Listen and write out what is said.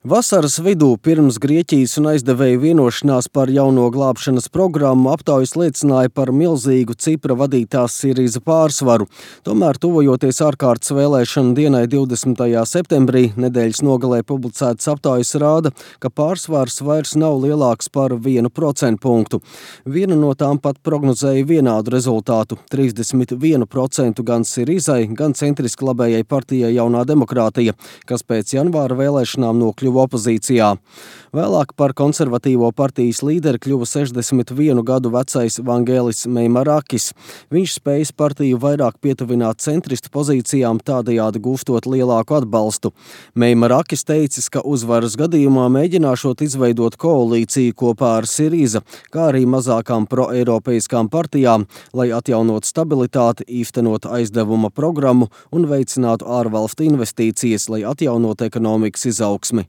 Vasaras vidū pirms Grieķijas un aizdevēju vienošanās par jauno glābšanas programmu aptaujas liecināja par milzīgu Cipra vadītās Sirīza pārsvaru. Tomēr, tuvojoties ārkārtas vēlēšanu dienai 20. septembrī, nedēļas nogalē publicētas aptaujas rāda, ka pārsvars vairs nav lielāks par 1% punktu. Viena no tām pat prognozēja vienādu rezultātu – 31% gan Sirīzai, gan centriski labējai partijai Jaunā demokrātija, kas pēc janvāra vēlēšanām nokļuva opozīcijā. Vēlāk par konservatīvo partijas līderi kļuva 61 gadu vecais Vangelis Meimarakis. Viņš spējas partiju vairāk pietuvināt centristu pozīcijām, tādējādi gūstot lielāku atbalstu. Meimarakis teicis, ka uzvaras gadījumā mēģināšot izveidot koalīciju kopā ar Sirīza, kā arī mazākām proeiropeiskām partijām, lai atjaunot stabilitāti, īstenot aizdevuma programmu un veicinātu ārvalstu investīcijas, lai atjaunot ekonomikas izaugsmi.